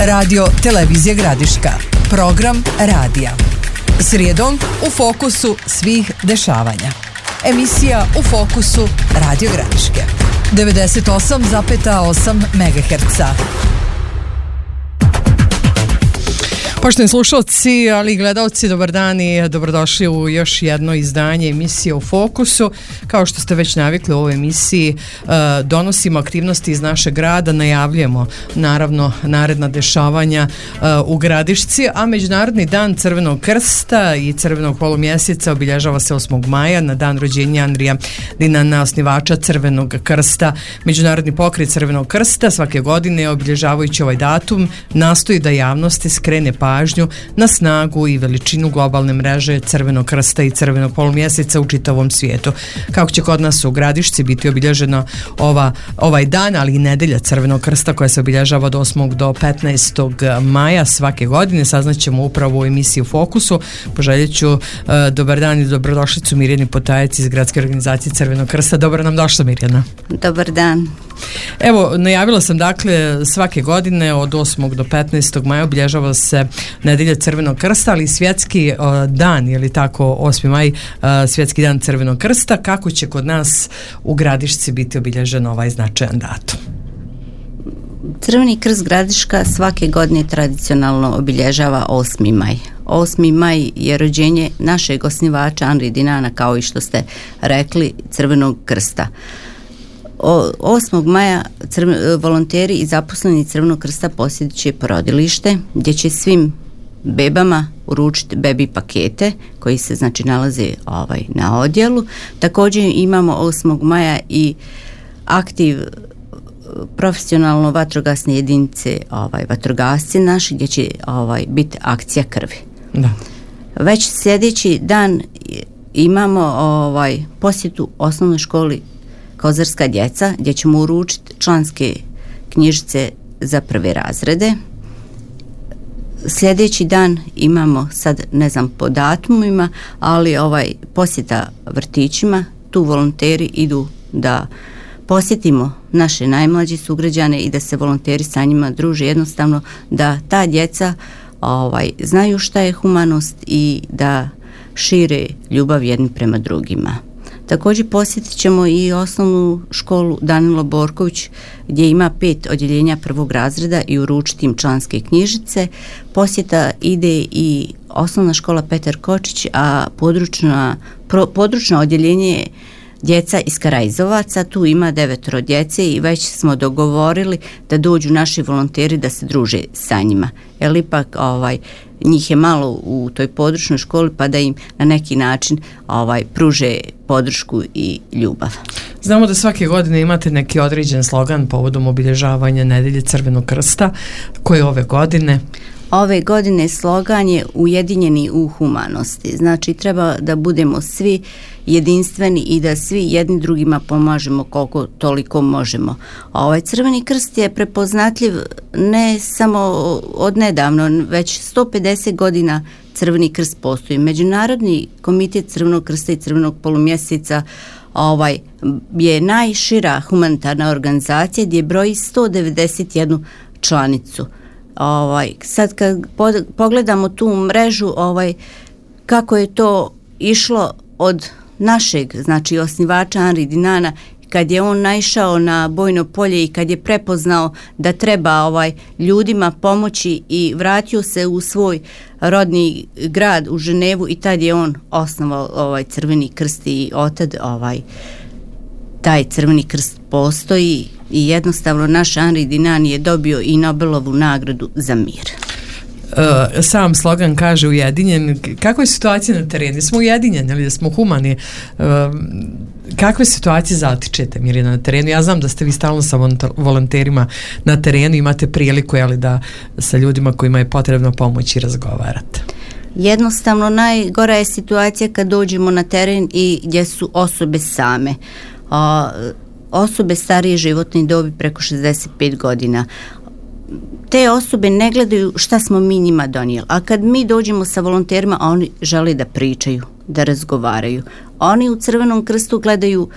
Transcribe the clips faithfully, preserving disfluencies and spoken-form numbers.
Radio Televizija Gradiška. Program radija. Srijedom u fokusu svih dešavanja. Emisija U fokusu Radio Gradiške. devedeset osam zarez osam megaherca. Poštovani slušalci, ali i gledalci, dobar dan i dobrodošli u još jedno izdanje emisije U fokusu. Kao što ste već navikli u ovoj emisiji, donosimo aktivnosti iz našeg grada, najavljujemo naravno naredna dešavanja u Gradišci, a Međunarodni dan Crvenog krsta i Crvenog polumjeseca obilježava se osmog maja na dan rođenja Andrija Dinana, osnivača Crvenog krsta. Međunarodni pokret Crvenog krsta svake godine, obilježavajući ovaj datum, nastoji da javnosti skrene pažnju na snagu i veličinu globalne mreže Crvenog krsta i Crvenog polumjeseca u čitavom svijetu. Kako će kod nas u Gradišci biti obilježena ova, ovaj dan, ali i nedelja Crvenog krsta koja se obilježava od osmog do petnaestog maja svake godine, saznaćemo upravo u emisiji U fokusu. Poželjet ću uh, dobar dan i dobrodošlicu Mirjani Potajac iz Gradske organizacije Crvenog krsta. Dobro nam došla, Mirjana. Dobar dan. Evo, najavila sam dakle svake godine od osmog do petnaestog maja obilježava se nedelja Crvenog krsta, ali i svjetski uh, dan, je li tako, osmi maj, uh, svjetski dan Crvenog krsta. Kako će kod nas u Gradišci biti obilježen ovaj značajan datum? Crveni krst Gradiška svake godine tradicionalno obilježava osmi maj. osmi maj je rođenje našeg osnivača Andrije Dinana, kao i što ste rekli, Crvenog krsta. O, osmog maja crve, volonteri i zaposleni Crvenog krsta posjetit će porodilište gdje će svim bebama uručiti bebi pakete koji se znači nalaze ovaj, na odjelu. Također imamo osmog maja i aktiv profesionalno vatrogasne jedinice, ovaj, vatrogasci naši, gdje će ovaj, biti akcija krvi. Da. Već sljedeći dan imamo ovaj, posjetu osnovnoj školi Kozarska djeca, gdje ćemo uručiti članske knjižice za prve razrede. Sljedeći dan imamo, sad ne znam po datumima, ali ovaj posjeta vrtićima, tu volonteri idu da posjetimo naše najmlađe sugrađane i da se volonteri sa njima druže, jednostavno da ta djeca ovaj, znaju šta je humanost i da šire ljubav jedni prema drugima. Također posjetit ćemo i osnovnu školu Danilo Borković gdje ima pet odjeljenja prvog razreda i uručiti im članske knjižice. Posjeta ide i osnovna škola Petar Kočić, a područna, pro, područno odjeljenje je djeca iz Karajzovaca, tu ima devetoro djece i već smo dogovorili da dođu naši volonteri da se druže sa njima. Jer ipak ovaj, njih je malo u toj područnoj školi, pa da im na neki način ovaj, pruže podršku i ljubav. Znamo da svake godine imate neki određen slogan povodom obilježavanja nedelje Crvenog krsta. Koje ove godine? Ove godine slogan je ujedinjeni u humanosti. Znači treba da budemo svi jedinstveni i da svi jedni drugima pomažemo koliko toliko možemo. Ovaj Crveni krst je prepoznatljiv ne samo od nedavno, već sto pedeset godina Crveni krst postoji. Međunarodni komitet Crvenog krsta i Crvenog polumjeseca ovaj, je najšira humanitarna organizacija gdje broji sto devedeset jednu članicu. Ovaj, sad kad pogledamo tu mrežu, ovaj, kako je to išlo od našeg, znači osnivača Andrije Dinana, kad je on naišao na bojno polje i kad je prepoznao da treba ovaj, ljudima pomoći i vratio se u svoj rodni grad u Ženevu i tad je on osnovao ovaj Crveni krst i otad ovaj, taj Crveni krst postoji i jednostavno naš Andrije Dinan je dobio i Nobelovu nagradu za mir. Uh, sam slogan kaže ujedinjen. Kakva je situacija na terenu? Smo ujedinjeni ili smo humani? Uh, kakve situacije zatičete, Mirjana, na terenu? Ja znam da ste vi stalno sa volonterima na terenu, imate priliku jeli, da sa ljudima kojima je potrebno pomoći razgovarate. Jednostavno najgora je situacija kad dođemo na teren i gdje su osobe same. Uh, osobe starije životne dobi preko šezdeset pet godina. Te osobe ne gledaju šta smo mi njima donijeli, a kad mi dođemo sa volonterima, oni žele da pričaju, da razgovaraju. Oni u Crvenom krstu gledaju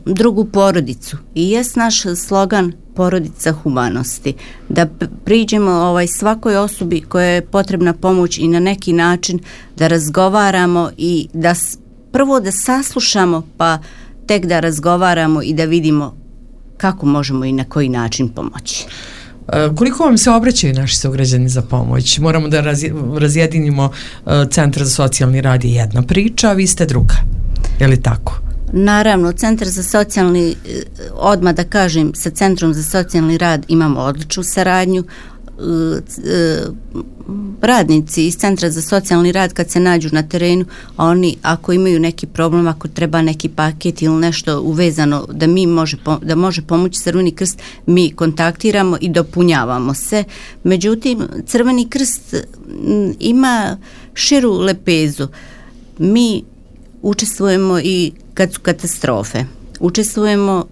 drugu porodicu. I jest naš slogan porodica humanosti, da priđemo ovaj svakoj osobi koja je potrebna pomoć i na neki način da razgovaramo i da prvo da saslušamo, pa tek da razgovaramo i da vidimo kako možemo i na koji način pomoći. Koliko vam se obraćaju naši sugrađani za pomoć? Moramo da razjedinimo. Centar za socijalni rad je jedna priča, a vi ste druga. Je li tako? Naravno, Centar za socijalni, odmah da kažem, sa Centrom za socijalni rad imamo odličnu saradnju. Radnici iz Centra za socijalni rad kad se nađu na terenu, oni ako imaju neki problem, ako treba neki paket ili nešto uvezano da mi može, da može pomoći Crveni krst, mi kontaktiramo i dopunjavamo se. Međutim, Crveni krst ima širu lepezu. Mi učestvujemo i kad su katastrofe. Učestvujemo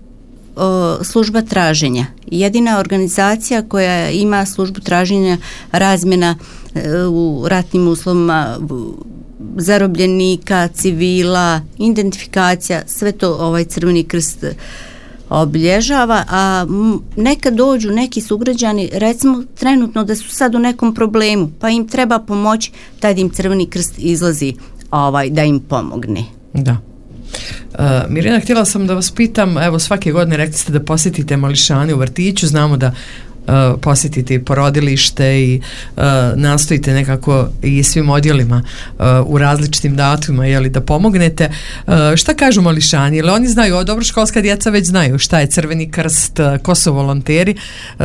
o, služba traženja. Jedina organizacija koja ima službu traženja razmjena e, u ratnim uslovima zarobljenika, civila, identifikacija, sve to ovaj Crveni krst obilježava, a nekad dođu neki sugrađani, recimo trenutno da su sad u nekom problemu, pa im treba pomoći, tad im Crveni krst izlazi ovaj, da im pomogne. Da. Uh, Mirjana, htjela sam da vas pitam, evo svake godine rekli ste da posjetite mališane u vrtiću, znamo da uh, posjetite i porodilište i uh, nastojite nekako i svim odjelima uh, u različitim datumima, jeli, da pomognete. Uh, šta kažu mališani? Jel oni znaju, o, dobro, školska djeca već znaju šta je Crveni krst, uh, ko su volonteri, uh,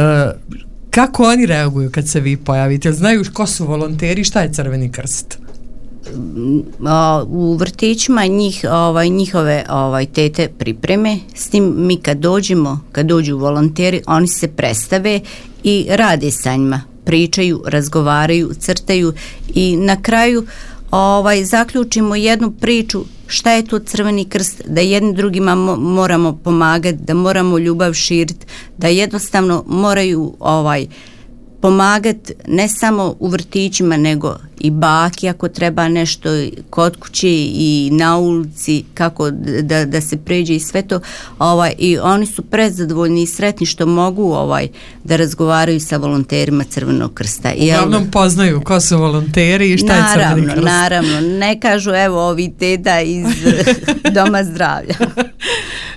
kako oni reaguju kad se vi pojavite? Znaju ko su volonteri, šta je Crveni krst? U vrtićima njih, ovaj, njihove ovaj, tete pripreme, s tim mi kad dođemo, kad dođu volonteri, oni se predstave i rade sa njima, pričaju, razgovaraju, crtaju i na kraju ovaj, zaključimo jednu priču šta je to Crveni krst, da jednim drugima mo- moramo pomagati, da moramo ljubav širiti, da jednostavno moraju ovaj pomagati ne samo u vrtićima nego i baki ako treba nešto kod kuće i na ulici kako da, da se pređe i sve to, ovaj, i oni su prezadovoljni i sretni što mogu ovaj da razgovaraju sa volonterima Crvenog krsta. Uglavnom poznaju ko su volonteri i šta naravno, je Crveni krst. Naravno, ne kažu evo ovi teta iz Doma zdravlja.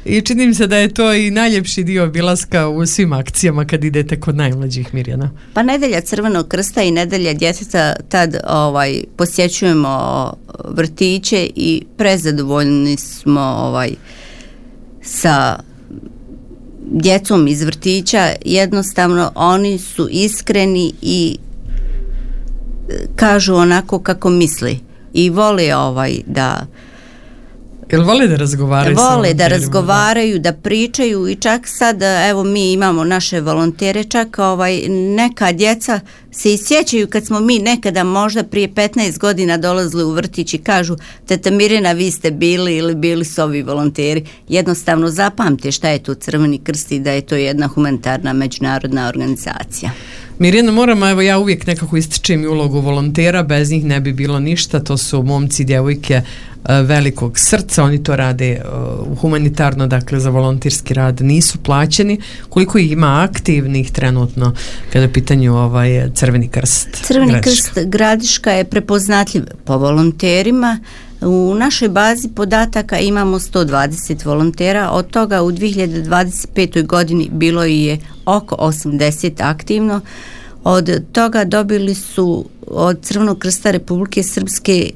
I čini mi se da je to i najljepši dio obilaska u svim akcijama kad idete kod najmlađih, Mirjana. Pa nedelja Crvenog krsta i nedelja djeteta, tad ovaj posjećujemo vrtiće i prezadovoljni smo ovaj sa djecom iz vrtića. Jednostavno oni su iskreni i kažu onako kako misli i vole ovaj da Jel vole da razgovaraju? Vole da razgovaraju, da pričaju i čak sad, evo mi imamo naše volontere, čak ovaj, neka djeca se isjećaju kad smo mi nekada možda prije petnaest godina dolazili u vrtić i kažu teta Mirjana vi ste bili ili bili su ovi volonteri. Jednostavno zapamte šta je to Crveni krst i da je to jedna humanitarna međunarodna organizacija. Mirjana, moram, evo ja uvijek nekako ističem i ulogu volontera, bez njih ne bi bilo ništa, to su momci i djevojke velikog srca, oni to rade uh, humanitarno, dakle za volonterski rad nisu plaćeni. Koliko ih ima aktivnih trenutno kada je pitanju ovaj Crveni krst? Crveni Gradiška. krst Gradiška je prepoznatljiv po volonterima. U našoj bazi podataka imamo sto dvadeset volontera, od toga u dvije hiljade dvadeset petoj godini bilo je oko osamdeset aktivno. Od toga dobili su od Crvenog krsta Republike Srpske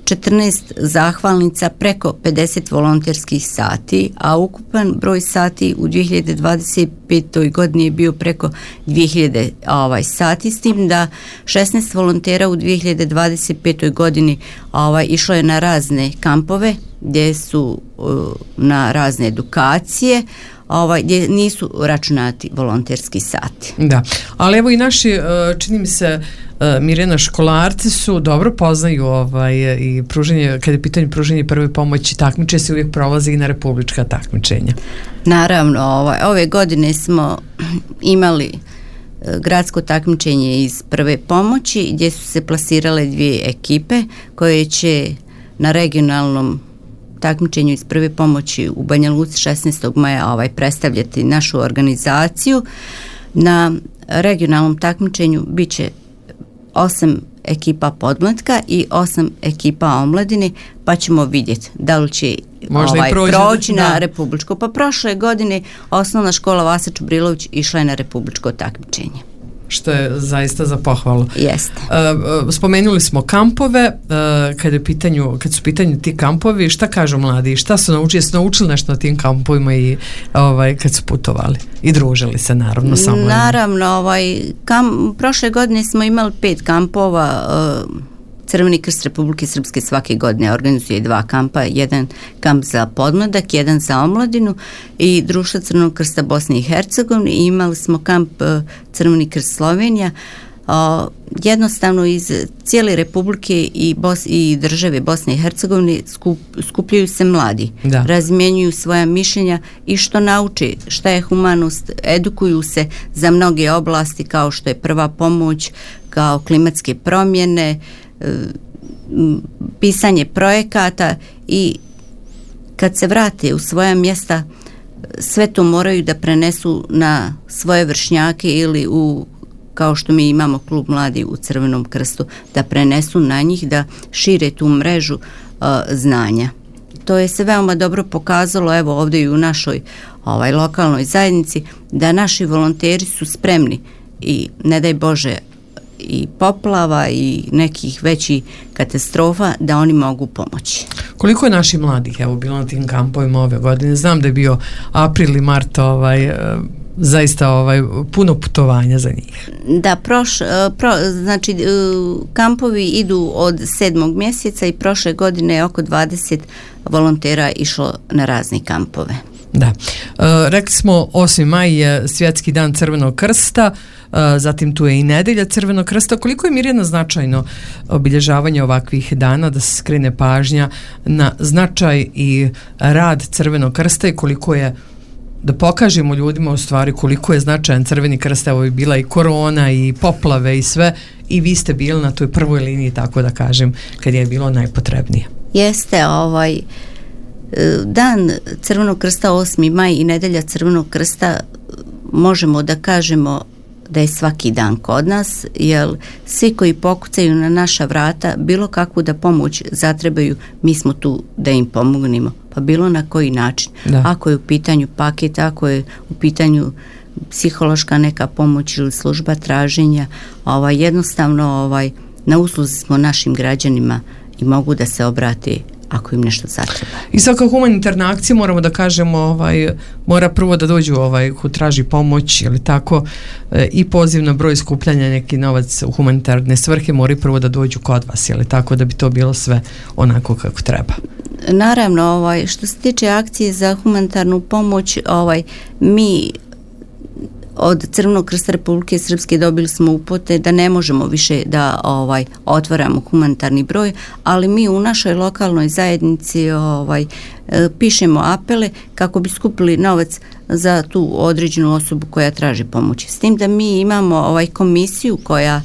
četrnaest zahvalnica, preko pedeset volonterskih sati, a ukupan broj sati u dvije hiljade dvadeset petoj godini je bio preko dvije hiljade ovaj, sati, s tim da šesnaest volontera u dvije hiljade dvadeset petoj godini ovaj, išlo je na razne kampove gdje su uh, na razne edukacije, ovaj, gdje nisu računati volonterski sati. Da, ali evo i naši, čini mi se, Mirjana, školarci su dobro poznaju ovaj, i pruženje, kada je pitanje pruženje prve pomoći, takmiče se uvijek prolaze i na republička takmičenja. Naravno, ovaj, ove godine smo imali gradsko takmičenje iz prve pomoći gdje su se plasirale dvije ekipe koje će na regionalnom takmičenju iz prve pomoći u Banja Luci šesnaestog maja ovaj, predstavljati našu organizaciju. Na regionalnom takmičenju bit će osam ekipa podmlatka i osam ekipa omladine, pa ćemo vidjeti da li će ovaj, proći na da. republičko. Pa prošle godine osnovna škola Vasa Čubrilović išla je na republičko takmičenje. Što je zaista za pohvalu. Jeste. Uh, spomenuli smo kampove, uh, kad, je pitanju, kad su pitanju ti kampovi, šta kažu mladi, šta su naučili, jesu naučili nešto na tim kampovima i ovaj, kad su putovali i družili se naravno sa mladima? Naravno, ovaj, kam, prošle godine smo imali pet kampova. uh, Crveni krst Republike Srpske svake godine organizuje dva kampa, jedan kamp za podmladak, jedan za omladinu i Društvo Crvenog krsta Bosne i Hercegovine, i imali smo kamp Crveni krst Slovenija. Jednostavno iz cijele Republike i, Bos, i države Bosne i Hercegovine skup, skupljaju se mladi, da. razmjenjuju svoja mišljenja i što nauče, šta je humanost, edukuju se za mnoge oblasti kao što je prva pomoć, kao klimatske promjene, pisanje projekata, i kad se vrate u svoja mjesta sve to moraju da prenesu na svoje vršnjake ili u, kao što mi imamo klub mladi u Crvenom krstu, da prenesu na njih, da šire tu mrežu uh, znanja. To je se veoma dobro pokazalo, evo ovdje i u našoj ovaj, lokalnoj zajednici, da naši volonteri su spremni i ne daj Bože i poplava i nekih većih katastrofa, da oni mogu pomoći. Koliko je naših mladih evo bilo na tim kampovima ove godine? Znam da je bio april i mart ovaj, zaista ovaj, puno putovanja za njih. Da, proš, pro, znači kampovi idu od sedmog mjeseca i prošle godine je oko dvadeset volontera išlo na razne kampove. Da. E, rekli smo osmi maj je svjetski dan Crvenog krsta, e, zatim tu je i nedelja Crvenog krsta. Koliko je, Mirjana, značajno obilježavanje ovakvih dana, da se skrene pažnja na značaj i rad Crvenog krsta i koliko je, da pokažemo ljudima u stvari koliko je značajan Crveni krst? Evo je bila i korona i poplave i sve, i vi ste bili na toj prvoj liniji, tako da kažem, kad je bilo najpotrebnije. Jeste, ovaj Dan Crvenog krsta osmi maj i nedelja Crvenog krsta možemo da kažemo da je svaki dan kod nas, jer svi koji pokucaju na naša vrata bilo kakvu da pomoć zatrebaju, mi smo tu da im pomognemo, pa bilo na koji način. Da. Ako je u pitanju paket, ako je u pitanju psihološka neka pomoć ili služba traženja, ovaj, jednostavno ovaj, na usluzi smo našim građanima i mogu da se obrate ako im nešto zatreba. I svaka humanitarna akcija, moramo da kažemo, ovaj, mora prvo da dođu ovaj, ko traži pomoć ili tako, e, i poziv na broj skupljanja neki novac u humanitarne svrhe mora prvo da dođu kod vas, ili tako, da bi to bilo sve onako kako treba. Naravno, ovaj, što se tiče akcije za humanitarnu pomoć, ovaj, mi od Crvenog krsta Republike Srpske dobili smo upute da ne možemo više da ovaj otvaramo humanitarni broj, ali mi u našoj lokalnoj zajednici ovaj pišemo apele kako bi skupili novac za tu određenu osobu koja traži pomoć. S tim da mi imamo ovaj komisiju koja,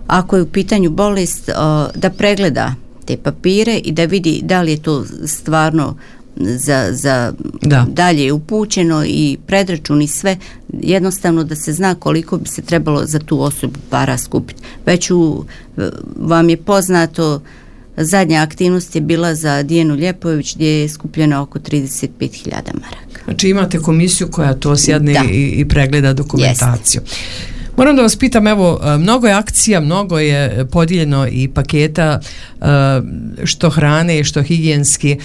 ako je u pitanju bolest, da pregleda te papire i da vidi da li je to stvarno za, za da. dalje upućeno i predračun i sve, jednostavno da se zna koliko bi se trebalo za tu osobu para skupiti. Već u, vam je poznato, zadnja aktivnost je bila za Dijanu Ljepojević gdje je skupljeno oko trideset pet hiljada maraka. Znači imate komisiju koja to sjedne i, i pregleda dokumentaciju. Jeste. Moram da vas pitam, evo, mnogo je akcija, mnogo je podijeljeno i paketa, što hrane, što higijenski.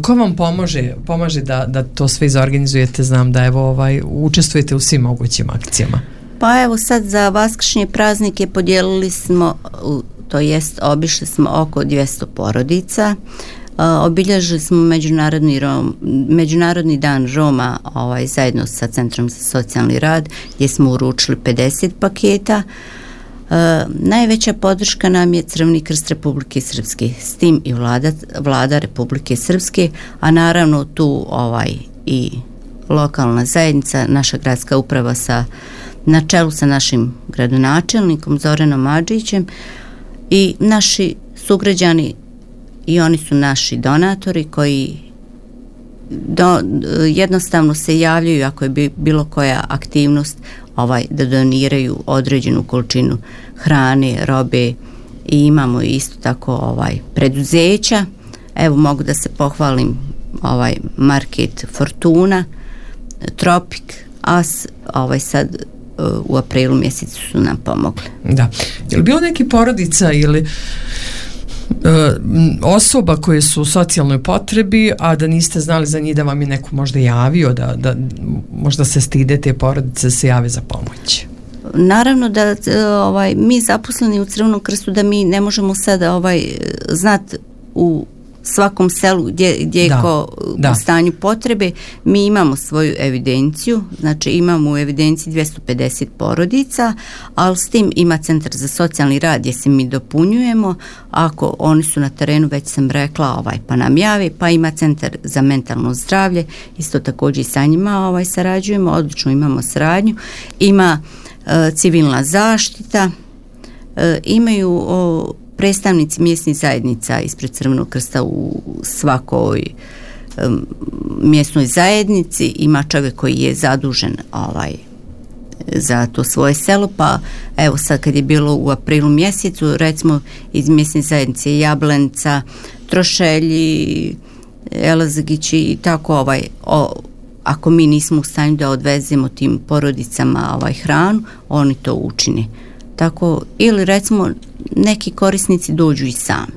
Ko vam pomaže, pomaže da, da to sve izorganizujete? Znam da evo, ovaj, učestvujete u svim mogućim akcijama. Pa evo sad za vaskršnje praznike podijelili smo, to jest obišli smo oko dvjesto porodica. Uh, obilježili smo međunarodni, Rom, međunarodni dan Roma ovaj, zajedno sa Centrom za socijalni rad gdje smo uručili pedeset paketa. Uh, najveća podrška nam je Crveni krst Republike Srpske, s tim i vlada, vlada Republike Srpske, a naravno tu ovaj, i lokalna zajednica, naša gradska uprava sa, na čelu sa našim gradonačelnikom Zoranom Adžićem i naši sugrađani. I oni su naši donatori koji do, jednostavno se javljaju ako je bilo koja aktivnost ovaj, da doniraju određenu količinu hrane, robe i imamo isto tako ovaj, preduzeća. Evo mogu da se pohvalim ovaj market Fortuna, Tropik, As, ovaj sad u aprilu mjesecu su nam pomogli. Da. Je li bilo neki porodica ili osoba koje su u socijalnoj potrebi, a da niste znali za njih, da vam je neko možda javio, da, da možda se stide te porodice da se jave za pomoć? Naravno da ovaj, mi zaposleni u Crvenom krstu da mi ne možemo sada ovaj, znati u svakom selu gdje, gdje je ko u stanju potrebe. Mi imamo svoju evidenciju, znači imamo u evidenciji dvjesto pedeset porodica, ali s tim ima centar za socijalni rad gdje se mi dopunjujemo. Ako oni su na terenu, već sam rekla, ovaj, pa nam javi, pa ima centar za mentalno zdravlje, isto također i sa njima ovaj, sarađujemo, odlično imamo saradnju. Ima e, civilna zaštita, e, imaju o, predstavnici mjesnih zajednica ispred Crvenog krsta u svakoj um, mjesnoj zajednici, ima čovjek koji je zadužen ovaj, za to svoje selo, pa evo sad kad je bilo u aprilu mjesecu, recimo iz mjesne zajednice Jablenca, Trošelji, Elazagići i tako ovaj, o, ako mi nismo u stanju da odvezemo tim porodicama ovaj, hranu, oni to učine. Tako, ili recimo neki korisnici dođu i sami.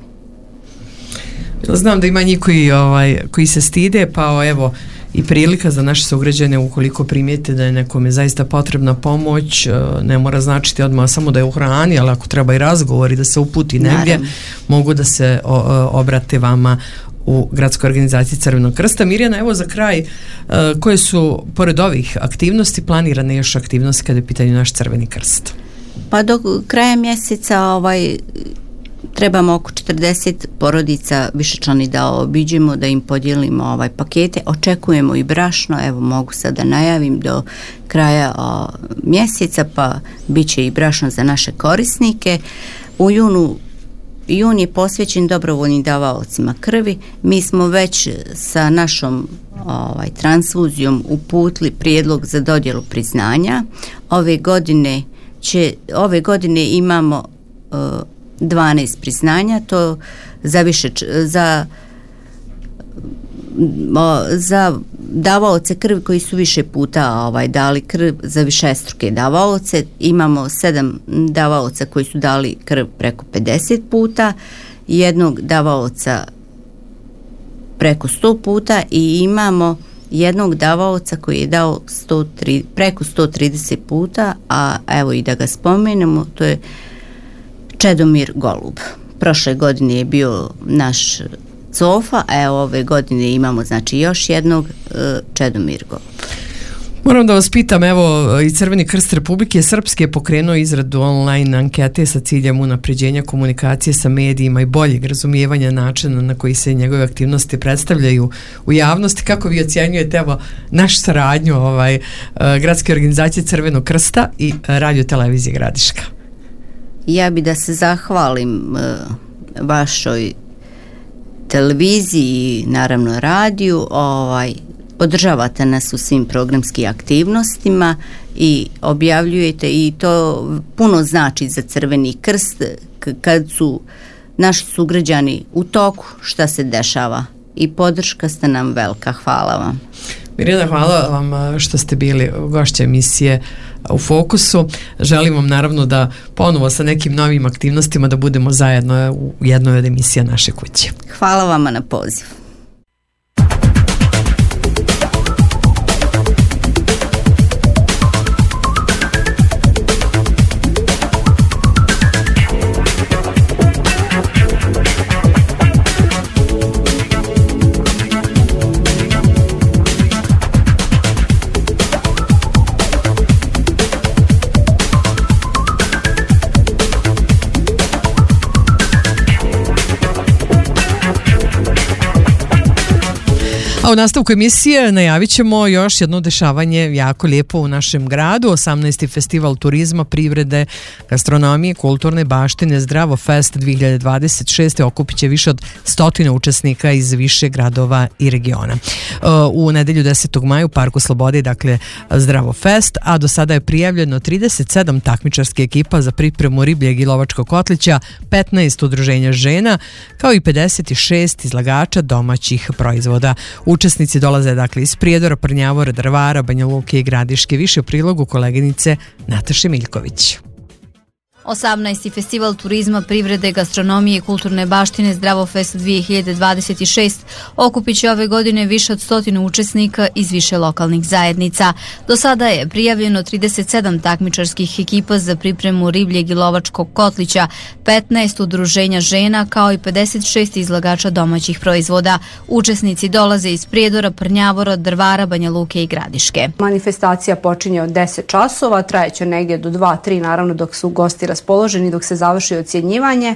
Znam da ima njih koji, ovaj, koji se stide, pa evo i prilika za naše sugrađane, ukoliko primijete da je nekome zaista potrebna pomoć, ne mora značiti odmah samo da je u hrani, ali ako treba i razgovor i da se uputi negdje, naravno, mogu da se o, obrate vama u gradskoj organizaciji Crvenog krsta. Mirjana, evo za kraj, koje su pored ovih aktivnosti planirane još aktivnosti kada je pitanje naš Crveni krst? Pa do kraja mjeseca ovaj, trebamo oko četrdeset porodica višečlani da obiđemo, da im podijelimo ovaj pakete. Očekujemo i brašno, evo mogu sad da najavim do kraja o, mjeseca, pa bit će i brašno za naše korisnike. U junu Jun je posvećen dobrovoljnim davaocima krvi. Mi smo već sa našom ovaj, transfuzijom uputili prijedlog za dodjelu priznanja. Ove godine Će, ove godine imamo uh, dvanaest priznanja, to za više za o, za davaoce krvi koji su više puta ovaj, dali krv, za višestruke davaoce imamo sedam davaoca koji su dali krv preko pedeset puta, jednog davaoca preko sto puta i imamo jednog davaoca koji je dao sto tri, preko sto trideset puta, a evo i da ga spomenemo, to je Čedomir Golub. Prošle godine je bio naš Cofa, a evo ove godine imamo znači još jednog uh, Čedomir Golub. Moram da vas pitam, evo i Crveni krst Republike Srpske je pokrenuo izradu online ankete sa ciljem unapređenja komunikacije sa medijima i boljeg razumijevanja načina na koji se njegove aktivnosti predstavljaju u javnosti. Kako vi ocjenjujete evo naš saradnju ovaj, gradske organizacije Crvenog krsta i radio televizije Gradiška? Ja bi da se zahvalim uh, vašoj televiziji, naravno radiju, ovaj podržavate nas u svim programskim aktivnostima i objavljujete i to puno znači za Crveni krst k- kad su naši sugrađani u toku šta se dešava i podrška ste nam velika. Hvala vam. Mirjana, hvala vam što ste bili gošća emisije U fokusu. Želim vam naravno da ponovo sa nekim novim aktivnostima da budemo zajedno u jednoj od emisija naše kuće. Hvala vama na pozivu. A u nastavku emisije najavit ćemo još jedno dešavanje jako lijepo u našem gradu. osamnaesti festival turizma, privrede, gastronomije, kulturne baštine Zdravo Fest dvije hiljade dvadeset šeste okupit će više od stotine učesnika iz više gradova i regiona. U nedelju desetog maja u Parku Slobode, dakle Zdravo Fest, a do sada je prijavljeno trideset sedam takmičarskih ekipa za pripremu ribljeg i lovačkog kotlića, petnaest udruženja žena, kao i pedeset šest izlagača domaćih proizvoda. Učesnici dolaze dakle iz Prijedora, Prnjavora, Drvara, Banja Luke i Gradiške. Više u prilogu koleginice Nataše Miljković. osamnaesti festival turizma, privrede, gastronomije i kulturne baštine Zdravo Fest dvije hiljade dvadeset šest okupit će ove godine više od stotinu učesnika iz više lokalnih zajednica. Do sada je prijavljeno trideset sedam takmičarskih ekipa za pripremu ribljeg i lovačkog kotlića, petnaest udruženja žena, kao i pedeset šest izlagača domaćih proizvoda. Učesnici dolaze iz Prijedora, Prnjavora, Drvara, Banja Luke i Gradiške. Manifestacija počinje od deset časova, trajeće negdje do dva tri, naravno dok su gosti raspoloženi, dok se završi ocjenjivanje.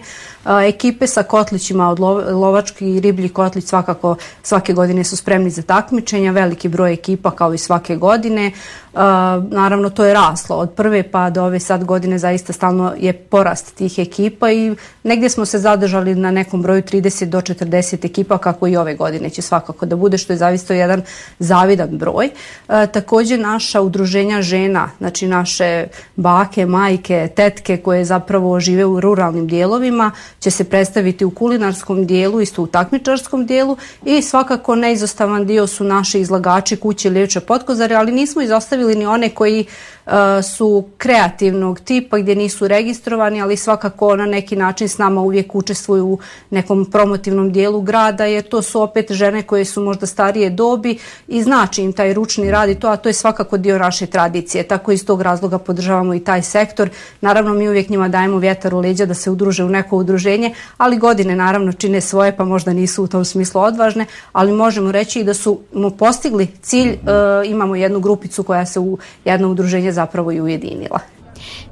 Ekipe sa kotlićima od lovački i riblji kotlić svakako svake godine su spremni za takmičenja, veliki broj ekipa kao i svake godine. Naravno to je raslo od prve pa do ove sad godine, zaista stalno je porast tih ekipa i negdje smo se zadržali na nekom broju trideset do četrdeset ekipa, kako i ove godine će svakako da bude, što je zavisno jedan zavidan broj. Također naša udruženja žena, znači naše bake, majke, tetke koje zapravo žive u ruralnim dijelovima, će se predstaviti u kulinarskom dijelu, isto u takmičarskom dijelu, i svakako neizostavan dio su naši izlagači kuće Liječe Potkozare, ali nismo izostavili ni one koji uh, su kreativnog tipa gdje nisu registrovani, ali svakako na neki način s nama uvijek učestvuju u nekom promotivnom dijelu grada, jer to su opet žene koje su možda starije dobi i znači im taj ručni rad i to, a to je svakako dio naše tradicije. Tako iz tog razloga podržavamo i taj sektor. Naravno mi uvijek njima dajemo vjetar u leđa da se udruže u neko udruženje, ali godine naravno čine svoje, pa možda nisu u tom smislu odvažne, ali možemo reći i da su postigli cilj. E, imamo jednu grupicu koja se u jedno udruženje zapravo i ujedinila.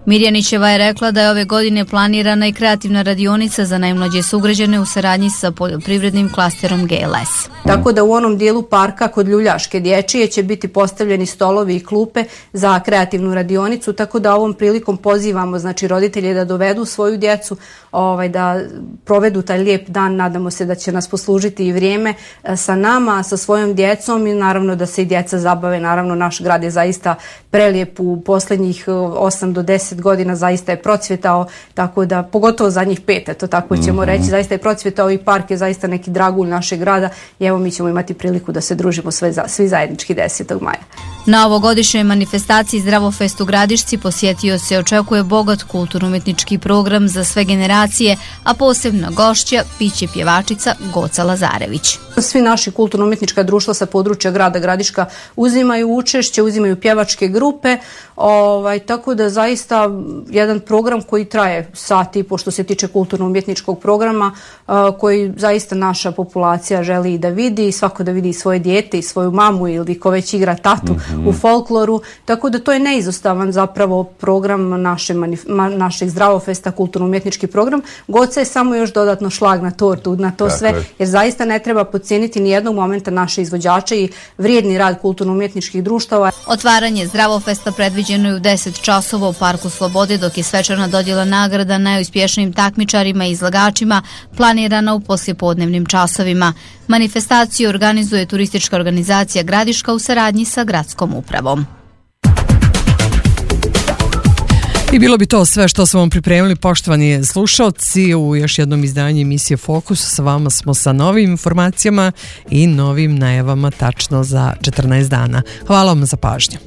Mirjanićeva je rekla da je ove godine planirana i kreativna radionica za najmlađe sugrađane u saradnji sa poljoprivrednim klasterom G L S. Tako da u onom dijelu parka kod Ljuljaške dječije će biti postavljeni stolovi i klupe za kreativnu radionicu, tako da ovom prilikom pozivamo znači roditelje da dovedu svoju djecu, ovaj, da provedu taj lijep dan. Nadamo se da će nas poslužiti i vrijeme sa nama, sa svojom djecom, i naravno da se i djeca zabave. Naravno naš grad je zaista prelijep, u posljednjih osam do deset godina zaista je procvjetao, tako da pogotovo zadnjih pet, to tako ćemo reći, zaista je procvjetao i park je zaista neki dragulj našeg grada i evo mi ćemo imati priliku da se družimo sve, svi zajednički desetog maja. Na ovogodišnjoj manifestaciji Zdravo Fest u Gradišci posjetio se očekuje bogat kulturno-umjetnički program za sve generacije, a posebna gošća piće pjevačica Goca Lazarević. Svi naši kulturno-umjetnička društva sa područja grada Gradiška uzimaju učešće, uzimaju pjevačke grupe, ovaj, tako da zaista jedan program koji traje sat i po što se tiče kulturno-umjetničkog programa, koji zaista naša populacija želi da vidi, svako da vidi svoje dijete i svoju mamu ili ko već igra tatu mm-hmm. u folkloru, tako da to je neizostavan zapravo program naše, našeg Zdravofesta, kulturno-umjetnički program. Goca je samo još dodatno šlag na tortu, na to sve, jer zaista ne treba podcijeniti ni jednog momenta naše izvođače i vrijedni rad kulturno-umjetničkih društava. Otvaranje Zdravofesta predviđeno je u deset časova u Parku Slobode, dok je svečana dodjela nagrada najuspješnijim takmičarima i izlagačima planirana u poslijepodnevnim časovima. Manifestaciju organizuje turistička organizacija Gradiška u saradnji sa gradskom upravom. I bilo bi to sve što smo vam pripremili, poštovani slušalci, u još jednom izdanju emisije Fokus. Sa vama smo sa novim informacijama i novim najavama tačno za četrnaest dana. Hvala vam za pažnju.